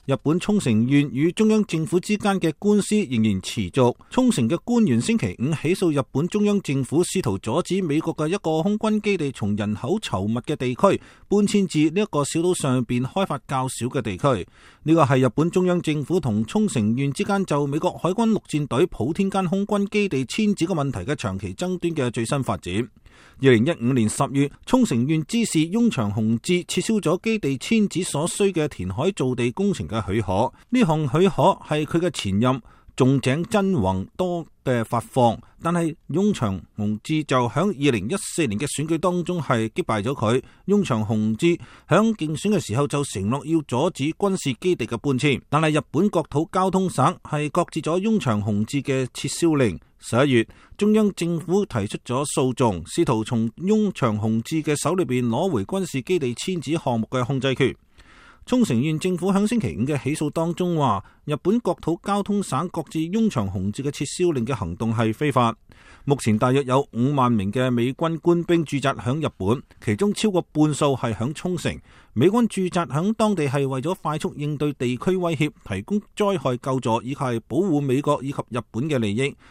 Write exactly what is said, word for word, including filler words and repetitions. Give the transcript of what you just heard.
日本沖繩縣與中央政府之間嘅官司仍然持續。沖繩嘅官員星期五起訴日本中央政府，試圖阻止美國嘅一個空軍基地從人口稠密嘅地區搬遷至呢一個小島上邊開發較少嘅地區。呢個係日本中央政府同沖繩縣之間就美國海軍陸戰隊普天間空軍基地遷址嘅問題嘅長期爭端嘅最新發展。二零一五年十月，沖繩縣知事翁長雄志撤銷咗基地遷址所需嘅填海造地工程嘅許可，呢項許可係佢嘅前任仲井真宏多嘅發放，但係翁長雄志就響二零一四年嘅選舉當中係擊敗咗佢。翁長雄志響競選嘅時候就承諾要阻止軍事基地嘅搬遷，但係日本國土交通省係擱置咗翁長雄志嘅撤銷令。十一月，中央政府提出咗訴訟，試圖從翁長雄志嘅手裏邊攞回軍事基地遷址項目嘅控制權。沖繩縣政府喺星期五嘅起訴當中話，日本國土交通省擱置翁長雄志嘅撤銷令嘅行動係非法。目前大約有五萬名嘅美軍官兵駐紮響日本，其中超過半數係響沖繩。美軍駐紮響當地係為咗快速應對地區威脅，提供災害救助以及係保護美國以及日本嘅利益。